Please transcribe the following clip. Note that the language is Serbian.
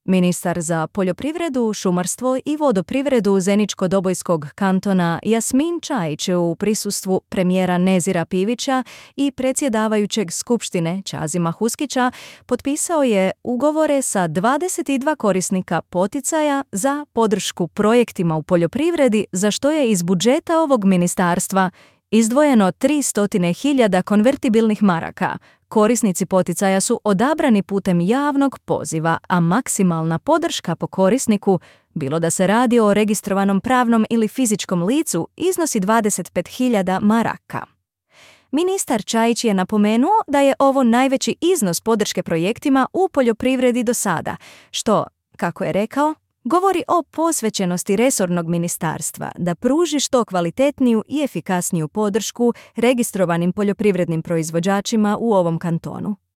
Ministar za poljoprivredu, šumarstvo i vodoprivredu Zeničko-Dobojskog kantona Jasmin Čajić u prisustvu premijera Nezira Pivića i predsjedavajućeg Skupštine Čazima Huskića potpisao je ugovore sa 22 korisnika poticaja za podršku projektima u poljoprivredi, za što je iz budžeta ovog ministarstva izdvojeno 300.000 konvertibilnih maraka. Korisnici poticaja su odabrani putem javnog poziva, a maksimalna podrška po korisniku, bilo da se radi o registrovanom pravnom ili fizičkom licu, iznosi 25.000 maraka. Ministar Čajić je napomenuo da je ovo najveći iznos podrške projektima u poljoprivredi do sada, što, kako je rekao, govori o posvećenosti resornog ministarstva da pruži što kvalitetniju i efikasniju podršku registrovanim poljoprivrednim proizvođačima u ovom kantonu.